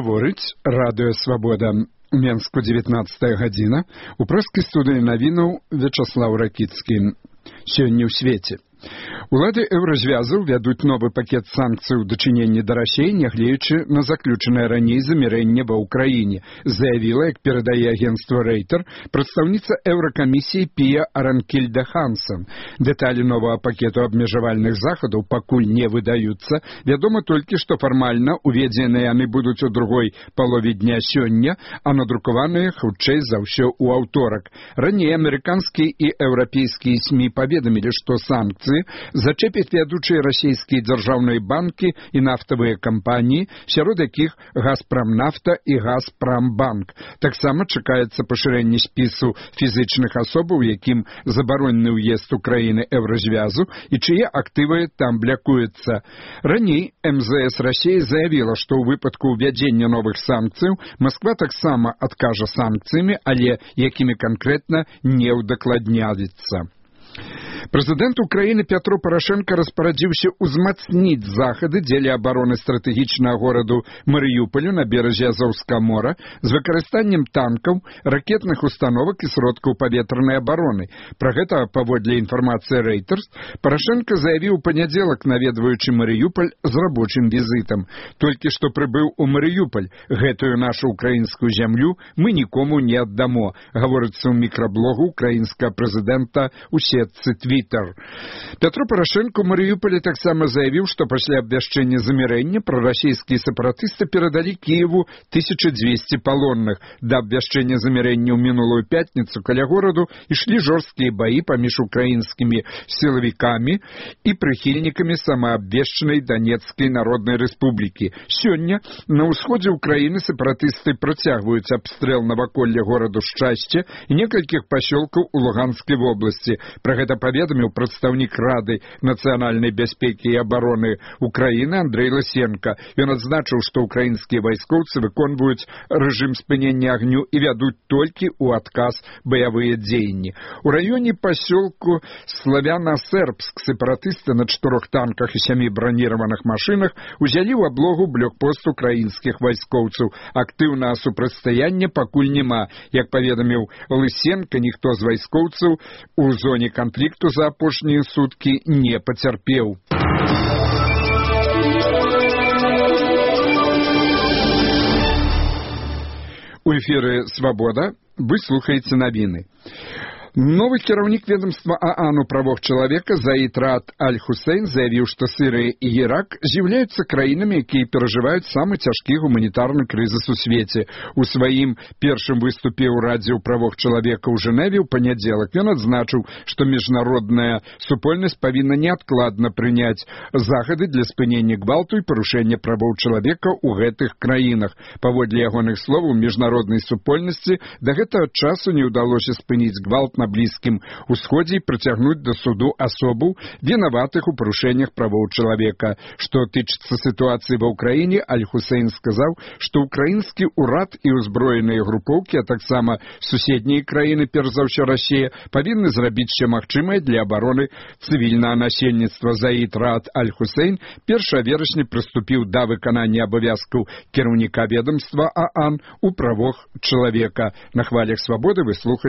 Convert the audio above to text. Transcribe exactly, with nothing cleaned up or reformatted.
Гаворыць радыё Свабода. У Менску дзевятнаццатая гадзіна. У прэскай студыі навінаў Вячаслаў Ракіцкі. Сёння ў свеце. Улады еўразвязу вядуць новы пакет санкцый у дачыненні да Расіі, нягледзячы на заключанае раней замірэнне ва ўкраіне, заявіла, як перадае агенцтва Рейтер, прадстаўніца еўракамісіі Пія Аранкельда Хансон. Дэталі новага пакету абмежавальных захадаў пакуль не выдаюцца. Вядома толькі, што фармальна уведзеныя яны будуць у другой палове дня сёння, а надрукаваныя хутчэй за ўсё ў аўторак. Раней амерыканскія і еўрапейскія СМІ паведамілі, што санкцыі зачэпяць вядучыя расійскія дзяржаўныя банкі і нафтавыя кампаніі, сярод якіх Газпрамнафта і Газпрамбанк. Таксама чакаецца пашырэнне спісу фізычных асобаў, якім забаронены ўезд у краіны еўразвязу і чые актывы там блякуюцца. Раней эм зэ эс Расіі заявіла, што ў выпадку ўвядзення новых санкцыяў Масква таксама адкажа санкцыямі, але якімі канкрэтна не ўдакладняецца. Прэзідэнт Украіны Пятро Парашенко распарадзіўся ўзмацніць захады дзеля абароны стратэгічнага гораду Марыюполю на беразе Азоўскага мора з выкарыстаннем танкаў, ракетных установак і сродкаў паветранай абароны. Пра гэта, паводле інфармацыі Reuters, Парашенко заявіў у панядзелак, наведваючы Марыюполь з рабочым візітам. Толькі што прыбыў у Марыюполь. Гэтую нашу украінскую зямлю мы нікому не аддамо, гаворыцца ў мікраблогу украінскага прэзідэнта ў сетцы Твиттер. Пятро Парашенко ў Марыюполі таксама заявіў, што пасля абвяшчэння замірэння прарасійскія сепаратысты перадалі Кіеву тысячу дзвесце палонных. Да абвяшчэння замірэння ў мінулую пятніцу каля гораду ішлі жорсткія баі паміж украінскімі сілавікамі і прыхільнікамі самаабвешчанай Донецкай Народнай Рэспублікі. Сёння на ўсходзе Украіны сепаратысты працягваюць абстрэл наваколля гораду Шчасце і некалькіх пасёлкаў у Луганскай вобласці. Пра гэта паведаміў прадстаўнік Рады нацыянальнай бяспекі і абароны Украіны Андрэй Лысенко. Ён адзначыў, што ўкраінскія вайскоўцы выконваюць рэжым спынення агню і вядуць толькі ў адказ баявыя дзеянні. У раёне пасёлку Славяна-Сербск сепаратысты на чатырох танках і сямі браніраваных машынах узялі ў аблогу блокпост украінскіх вайскоўцаў. Актыўнага супрацьстаяння пакуль няма. Як паведаміў Лысенко, ніхто з вайскоўцаў у зоне канфлікту за апошнія суткі не пацярпеў. У эфіры «Свабода» вы слухаеце навіны. Новы кіраўнік ведомства ААН у правах чалавека Заід Раат Аль-Хусейн заявіў, што Сірыя і Ірак з'яўляюцца краінамі, якія перажываюць самы цяжкі гуманітарны крызіс у свеце. У сваім першым выступе ў Радзе ў правах чалавека ў Жэневе ў панядзелак ён адзначыў, што міжнародная супольнасць павінна неадкладна прыняць захады для спынення гвалту і парушэння правоў чалавека ў гэтых краінах. Паводле ягоных словаў, міжнароднай супольнасці да гэтага часу не ўдалося спыніць гвалт на Блізкім Усходзе і прыцягнуць да суду асобаў, вінаватых у парушэннях правоў чалавека. Што тычыцца сітуацыі ва ўкраіне, Аль-Хусейн сказаў, што ўкраінскі ўрад і ўзброеныя групоўкі, а таксама суседнія краіны, перш за ўсё Расія, павінны зрабіць усё магчымае для абароны цывільнага насельніцтва. Заід Раат Аль-Хусейн першага верасня прыступіў да выканання абавязкаў кіраўніка ведамства ААН у правах чалавека. На хвалях Свабоды вы слухаеце